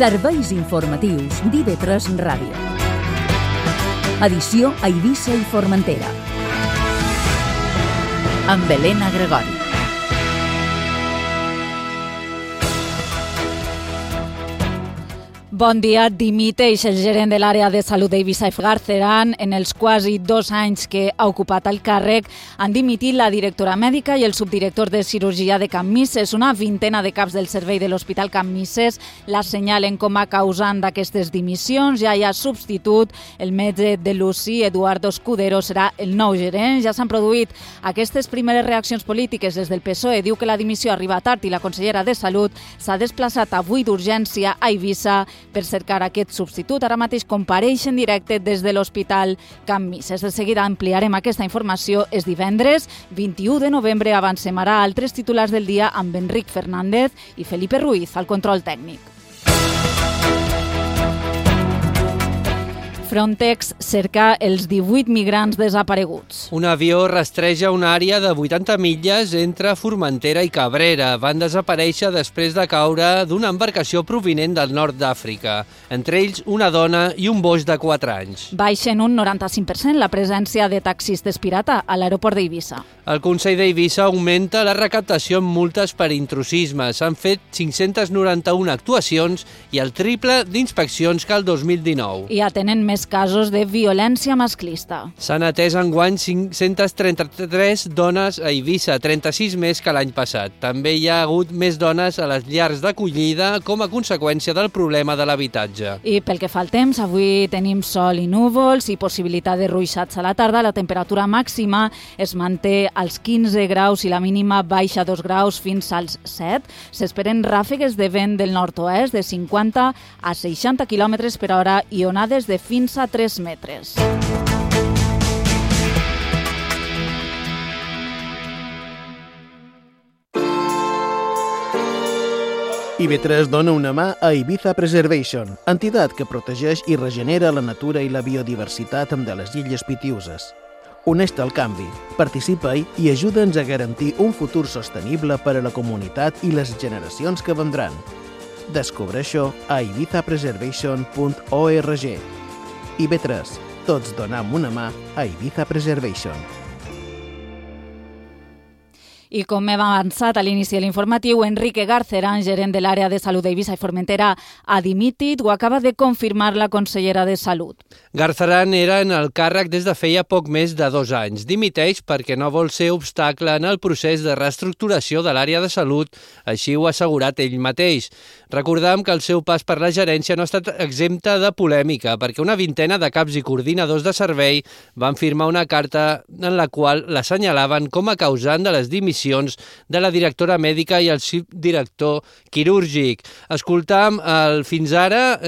Serveis informatius d'IV3 Ràdio. Edició a Eivissa i Formentera. Amb Helena Gregori. Bon dia. Dimiteix el gerent de l'àrea de salut d'Eivissa i Garceran. En els quasi 2 anys que ha ocupat el càrrec, han dimitit la directora mèdica i el subdirector de cirurgia de Can Misses. Una vintena de caps del servei de l'Hospital Can Misses l'assenyalen com a causant d'aquestes dimissions. Ja hi ha substitut. El metge de l'UCI, Eduardo Escudero, serà el nou gerent. Ja s'han produït aquestes primeres reaccions polítiques des del PSOE. Diu que la dimissió arriba tard i la consellera de Salut s'ha desplaçat avui d'urgència a Eivissa per cercar aquest substitut. Ara mateix compareix en directe des de l'Hospital Can Misses. De seguida ampliarem aquesta informació. És divendres, 21 de novembre. Avancem ara a altres titulars del dia amb Enric Fernández i Felipe Ruiz al control tècnic. Frontex cerca els 18 migrants desapareguts. Un avió rastreja una àrea de 80 milles entre Formentera i Cabrera. Van desaparèixer després de caure d'una embarcació provinent del nord d'Àfrica. Entre ells, una dona i un boix de 4 anys. Baixen un 95% la presència de taxistes pirata a l'aeroport d'Eivissa. El Consell d'Eivissa augmenta la recaptació en multes per intrusisme. S'han fet 591 actuacions i el triple d'inspeccions que el 2019. I atenen més casos de violència masclista. S'han atès enguany 533 dones a Eivissa, 36 més que l'any passat. També hi ha hagut més dones a les llars d'acollida com a conseqüència del problema de l'habitatge. I pel que fa al temps, avui tenim sol i núvols i possibilitat de ruixats a la tarda. La temperatura màxima es manté als 15 graus i la mínima baixa 2 graus fins als 7. S'esperen ràfegues de vent del nord-oest de 50 a 60 km per hora i onades de fins a 3 metres. IV3 dona una mà a Ibiza Preservation, entitat que protegeix i regenera la natura i la biodiversitat de les illes Pitiüses. Uneix-te al canvi, participa-hi i ajuda'ns a garantir un futur sostenible per a la comunitat i les generacions que vendran. Descobreix-ho a ibizapreservation.org. IB3, tots donem una mà a Ibiza Preservation. I com hem avançat a l'inici de l'informatiu, Enrique Garceran, gerent de l'àrea de salut d'Eivissa i Formentera, ha dimitit. Ho acaba de confirmar la consellera de Salut. Garceran era en el càrrec des de feia poc més de 2 anys. Dimiteix perquè no vol ser obstacle en el procés de reestructuració de l'àrea de salut, així ho ha assegurat ell mateix. Recordem que el seu pas per la gerència no ha estat exempta de polèmica, perquè una vintena de caps i coordinadors de servei van firmar una carta en la qual l'assenyalaven com a causant de les dimissions de la directora mèdica i el subdirector quirúrgic. Escoltam el fins ara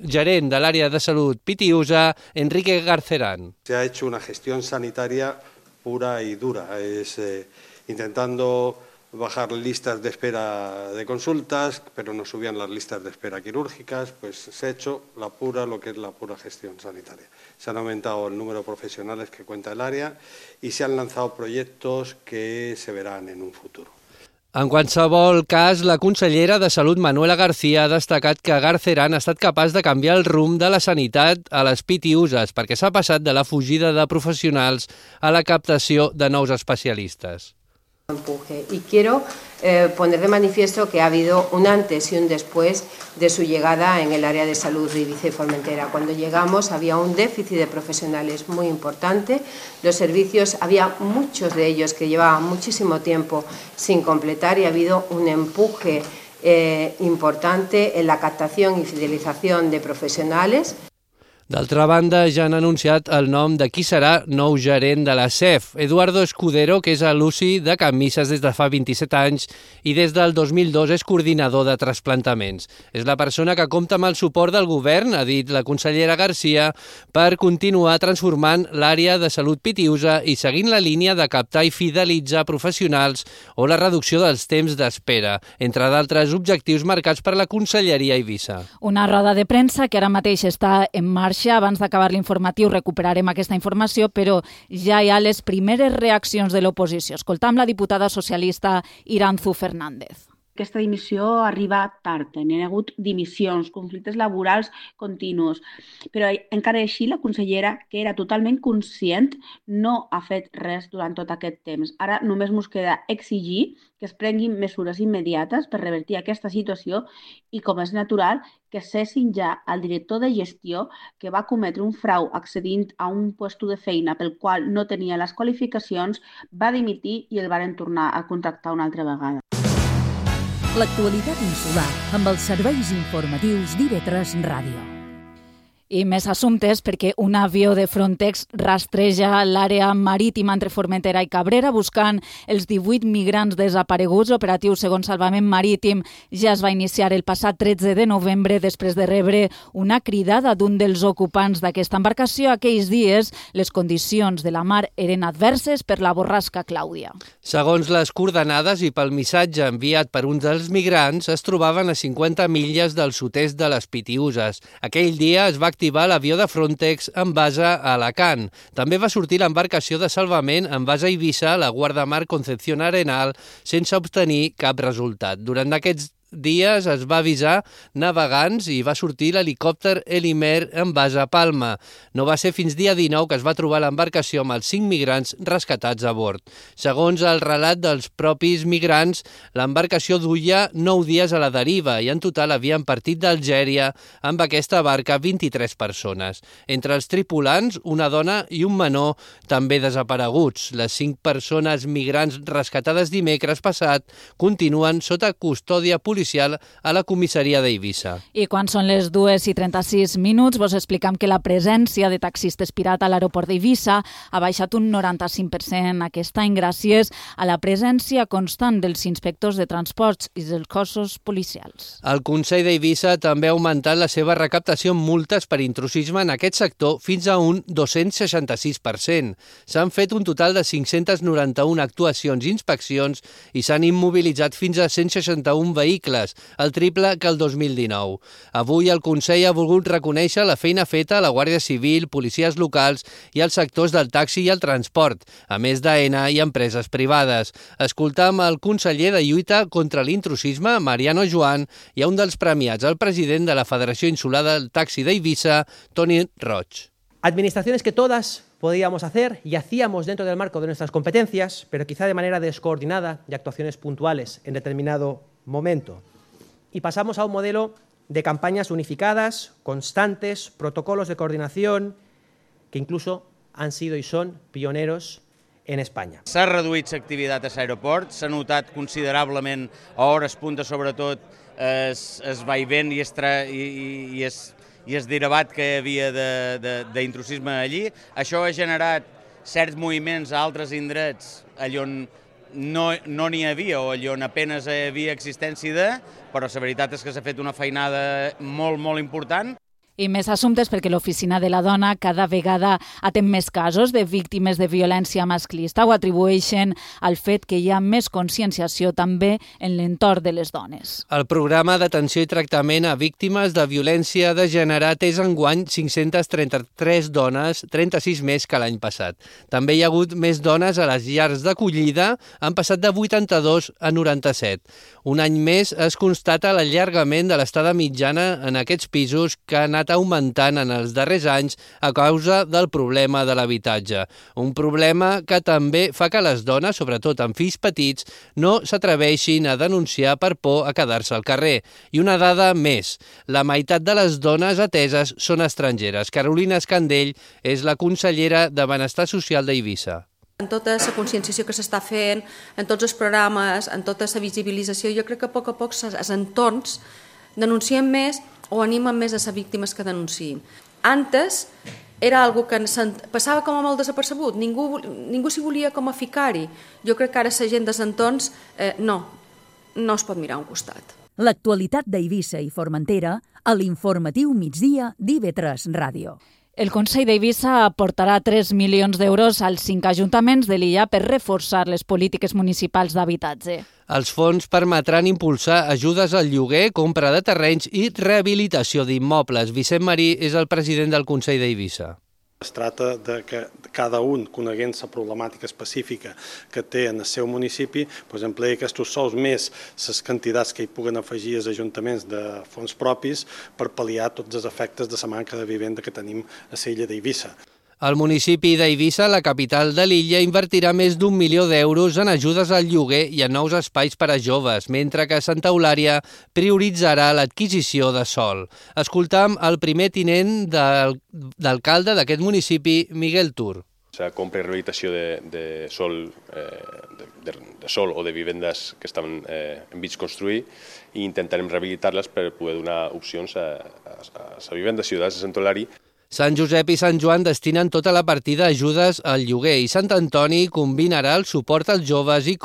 gerent de l'àrea de salut Pitiüsa, Enrique Garceran. Se ha hecho una gestión sanitaria pura y dura, intentando bajar listas de espera de consultas, pero no subían las listas de espera quirúrgicas, pues se ha hecho lo que es la pura gestión sanitaria. Se han aumentado el número de profesionales que cuenta el área y se han lanzado proyectos que se verán en un futuro. En qualsevol cas, la consellera de Salut, Manuela García, ha destacat que Garceran ha estat capaç de canviar el rumb de la sanitat a les Pitiüses, perquè s'ha passat de la fugida de professionals a la captació de nous especialistes. Y quiero poner de manifiesto que ha habido un antes y un después de su llegada en el área de salud de Eivissa y Formentera. Cuando llegamos había un déficit de profesionales muy importante. Los servicios, había muchos de ellos que llevaban muchísimo tiempo sin completar y ha habido un empuje importante en la captación y fidelización de profesionales. D'altra banda, ja han anunciat el nom de qui serà nou gerent de la CEF, Eduardo Escudero, que és a l'UCI de Can Misses des de fa 27 anys i des del 2002 és coordinador de trasplantaments. És la persona que compta amb el suport del govern, ha dit la consellera García, per continuar transformant l'àrea de salut Pitiüsa i seguint la línia de captar i fidelitzar professionals o la reducció dels temps d'espera, entre d'altres objectius marcats per la Conselleria Eivissa. Una roda de premsa que ara mateix està en marxa. Abans d'acabar l'informatiu recuperarem aquesta informació, però ja hi ha les primeres reaccions de l'oposició. Escoltam la diputada socialista Iranzu Fernández. Aquesta dimissió arriba tard, n'hi ha hagut dimissions, conflictes laborals continus, però encara així la consellera, que era totalment conscient, no ha fet res durant tot aquest temps. Ara només ens queda exigir que es prenguin mesures immediates per revertir aquesta situació i, com és natural, que cessin ja el director de gestió que va cometre un frau accedint a un lloc de feina pel qual no tenia les qualificacions, va dimitir i el varen tornar a contractar una altra vegada. L'actualitat insular amb els serveis informatius d'IV3 Ràdio. I més assumptes perquè un avió de Frontex rastreja l'àrea marítima entre Formentera i Cabrera buscant els 18 migrants desapareguts. L'operatiu segons Salvament Marítim ja es va iniciar el passat 13 de novembre després de rebre una cridada d'un dels ocupants d'aquesta embarcació. Aquells dies les condicions de la mar eren adverses per la borrasca Clàudia. Segons les coordenades i pel missatge enviat per un dels migrants, es trobaven a 50 milles del sud-est de les Pitiüses. Aquell dia es va activar l'avió de Frontex en base a Alacant. També va sortir l'embarcació de salvament en base a Eivissa, la guardamar Concepción Arenal, sense obtenir cap resultat. Durant aquests dies es va avisar navegants i va sortir l'helicòpter Helimer en base a Palma. No va ser fins dia 19 que es va trobar l'embarcació amb els 5 migrants rescatats a bord. Segons el relat dels propis migrants, l'embarcació duia 9 dies a la deriva i en total havien partit d'Algèria amb aquesta barca 23 persones. Entre els tripulants, una dona i un menor també desapareguts. Les 5 persones migrants rescatades dimecres passat continuen sota custòdia policial a la comissaria d'Eivissa. I quan són les 2:36, vos explicam que la presència de taxistes pirata a l'aeroport d'Eivissa ha baixat un 95% aquest any gràcies a la presència constant dels inspectors de transports i dels cossos policials. El Consell d'Eivissa també ha augmentat la seva recaptació en multes per intrusisme en aquest sector fins a un 266%. S'han fet un total de 591 actuacions i inspeccions i s'han immobilitzat fins a 161 vehicles, el triple que el 2019. Avui el Consell ha volgut reconèixer la feina feta a la Guàrdia Civil, policies locals i els sectors del taxi i el transport, a més d'AENA i empreses privades. Escoltam el conseller de lluita contra l'intrusisme, Mariano Joan, i un dels premiats, el president de la Federació Insular del Taxi d'Eivissa, Toni Roig. Administraciones que todas podíamos hacer y hacíamos dentro del marco de nuestras competencias, pero quizá de manera descoordinada y actuaciones puntuales en determinado momento. Y pasamos a un modelo de campañas unificadas, constantes, protocolos de coordinación, que incluso han sido y son pioneros en Espanya. S'ha reduït l'activitat a l'aeroport, s'ha notat considerablement a hores punta, sobretot, es vaivent i es derivat que hi havia d'intrusisme allí. Això ha generat certs moviments a altres indrets allà on no n'hi havia o allà on apenas hi havia existència però la veritat és que s'ha fet una feinada molt, molt important. I més assumptes perquè l'Oficina de la Dona cada vegada atén més casos de víctimes de violència masclista. Ho atribueixen al fet que hi ha més conscienciació també en l'entorn de les dones. El programa d'atenció i tractament a víctimes de violència de gènere ha atès enguany 533 dones, 36 més que l'any passat. També hi ha hagut més dones a les llars d'acollida, han passat de 82 a 97. Un any més es constata l'allargament de l'estada mitjana en aquests pisos que han anat augmentant en els darrers anys a causa del problema de l'habitatge. Un problema que també fa que les dones, sobretot amb fills petits, no s'atreveixin a denunciar per por a quedar-se al carrer. I una dada més, la meitat de les dones ateses són estrangeres. Carolina Escandell és la consellera de Benestar Social d'Eivissa. En tota la conscienciació que s'està fent, en tots els programes, en tota la visibilització, jo crec que a poc els entorns denuncien més o animen més a les víctimes que denunciïn. Antes era algo que passava com a molt desapercebut, ningú s'hi volia com a ficar-hi. Jo crec que ara la gent dels entorns no es pot mirar a un costat. L'actualitat d'Eivissa i Formentera a l'informatiu migdia d'IV3 Ràdio. El Consell d'Eivissa aportarà 3 milions d'euros als 5 ajuntaments de l'illa per reforçar les polítiques municipals d'habitatge. Els fons permetran impulsar ajudes al lloguer, compra de terrenys i rehabilitació d'immobles. Vicent Marí és el president del Consell d'Eivissa. Es tracta de que cada un, coneguent la problemàtica específica que té en el seu municipi, empleï aquests sous més les quantitats que hi puguen afegir els ajuntaments de fons propis per pal·liar tots els efectes de la manca de vivenda que tenim a l'illa d'Eivissa. El municipi d'Eivissa, la capital de l'illa, invertirà més d'1 milió d'euros en ajudes al lloguer i en nous espais per a joves, mentre que Santa Eulària prioritzarà l'adquisició de sòl. Escoltam el primer tinent d'alcalde d'aquest municipi, Miguel Tur. La compra i rehabilitació de sòl o de vivendes que estan en mig construir i intentarem rehabilitar-les per poder donar opcions a la vivenda ciutadana de Sant Eulària. Sant Josep i Sant Joan destinen tota la partida a ajudes al lloguer i Sant Antoni combinarà el suport als joves i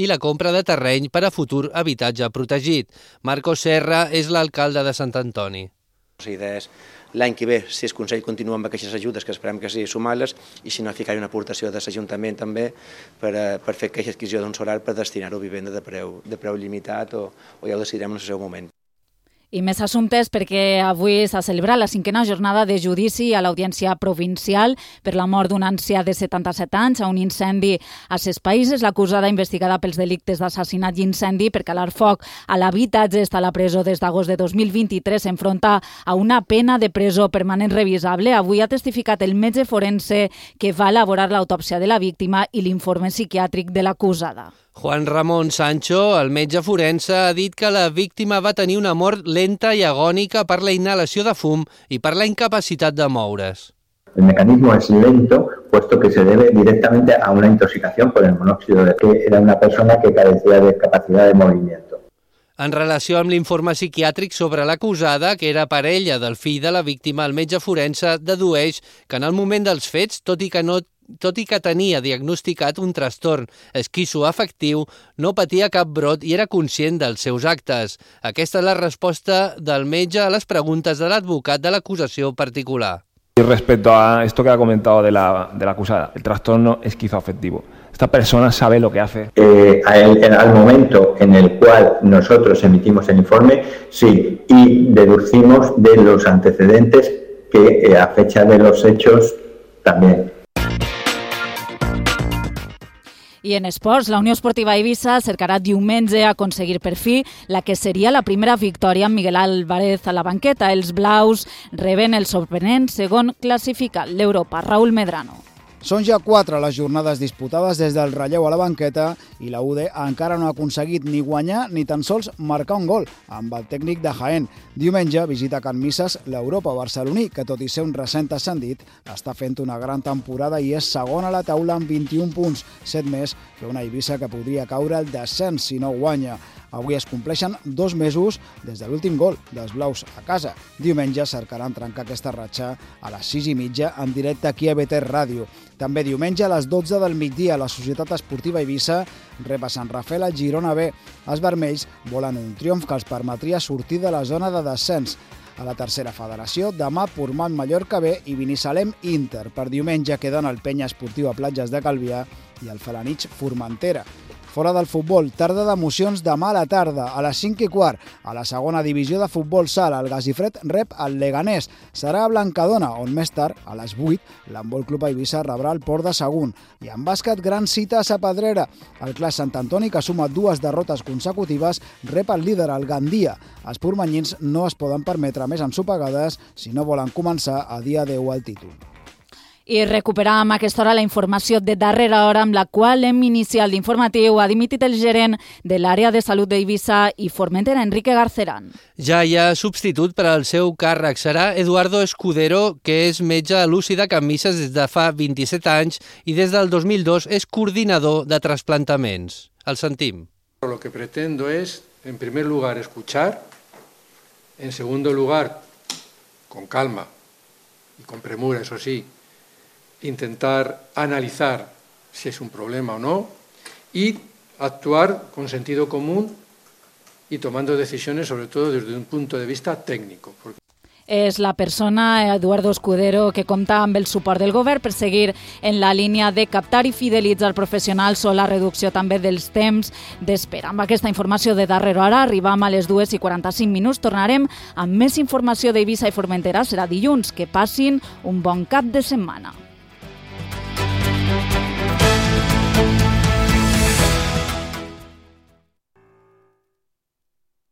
la compra de terreny per a futur habitatge protegit. Marcos Serra és l'alcalde de Sant Antoni. La idea és l'any que ve, si el Consell continua amb aquestes ajudes, que esperem que sí, sumar-les, i si no, ficar una aportació de l'Ajuntament també per fer aquesta adquisició d'un solar per destinar-ho a vivenda de preu limitat o ja ho decidirem en el seu moment. I més assumptes perquè avui s'ha celebrat la 5a jornada de judici a l'Audiència Provincial per la mort d'un ancià de 77 anys a un incendi a Ses Païses. L'acusada investigada pels delictes d'assassinat i incendi per calar foc a l'habitatge està a la presó des d'agost de 2023. S'enfronta a una pena de presó permanent revisable. Avui ha testificat el metge forense que va elaborar l'autòpsia de la víctima i l'informe psiquiàtric de l'acusada. Juan Ramón Sancho, el metge forense, ha dit que la víctima va tenir una mort lenta i agònica per la inhalació de fum i per la incapacitat de moure's. El mecanismo es lento, puesto que se debe directamente a una intoxicación por el monóxido de que era una persona que carecía de capacidad de movimiento. En relació amb l'informe psiquiàtric sobre l'acusada, que era parella del fill de la víctima, el metge forense dedueix que en el moment dels fets, tot i que tenia diagnosticat un trastorn esquizoafectiu, no patia cap brot i era conscient dels seus actes. Aquesta és la resposta del metge a les preguntes de l'advocat de l'acusació particular. Y respecto a esto que ha comentado de la acusada, el trastorno esquizoafectivo. ¿Esta persona sabe lo que hace? Al momento en el cual nosotros emitimos el informe, sí, y deducimos de los antecedentes que a fecha de los hechos también. I en esports, la Unió Esportiva Eivissa cercarà diumenge aconseguir per fi la que seria la primera victòria amb Miguel Álvarez a la banqueta. Els blaus reben el sorprenent segon classificat, l'Europa. Raúl Medrano. Són ja 4 les jornades disputades des del relleu a la banqueta i la UD encara no ha aconseguit ni guanyar ni tan sols marcar un gol amb el tècnic de Jaén. Diumenge visita Can Misses l'Europa barceloní, que tot i ser un recent ascendit, està fent una gran temporada i és segon a la taula amb 21 punts, 7 més que una Eivissa que podria caure al descens si no guanya. Avui es compleixen 2 mesos des de l'últim gol dels blaus a casa. Diumenge cercaran trencar aquesta ratxa a les 6:30 en directe aquí a BT Ràdio. També diumenge a les 12 del migdia la Societat Esportiva Eivissa rep a Sant Rafel a Girona B. Els vermells volen un triomf que els permetria sortir de la zona de descens. A la tercera federació, demà Portmany Mallorca B i Binissalem Inter. Per diumenge queden el Penya Esportiva Platges de Calvià i el Felanitx Formentera. Fora del futbol, tarda d'emocions demà a la tarda, a les 5:15. A la segona divisió de futbol sala, el Gasifred rep el Leganés. Serà a Blancadona, on més tard, a les 8, l'Handbol Club Eivissa rebrà el Port de Sagunt. I en bàsquet, gran cita a Sapedrera. El Clas Sant Antoni, que suma 2 derrotes consecutives, rep el líder, el Gandia. Els portmanyins no es poden permetre més ensopegades si no volen començar a dia 10 al títol. I recuperàvem a aquesta hora la informació de darrera hora amb la qual hem iniciat l'informatiu. Ha dimitit el gerent de l'àrea de salut d'Eivissa i Formentera, Enrique Garceran. Ja hi ha substitut per al seu càrrec. Serà Eduardo Escudero, que és metge a l'UCI de Can Misses des de fa 27 anys i des del 2002 és coordinador de trasplantaments. El sentim. Lo que pretendo es, en primer lugar, escuchar, en segundo lugar, con calma y con premura, eso sí, intentar analizar si es un problema o no y actuar con sentido común y tomando decisiones, sobre todo desde un punto de vista técnico. És la persona, Eduardo Escudero, que compta amb el suport del govern per seguir en la línia de captar i fidelitzar professionals o la reducció també dels temps d'espera. Amb aquesta informació de darrera hora arribam a les 2:45. Tornarem amb més informació d'Eivissa i Formentera. Serà dilluns. Que passin un bon cap de setmana.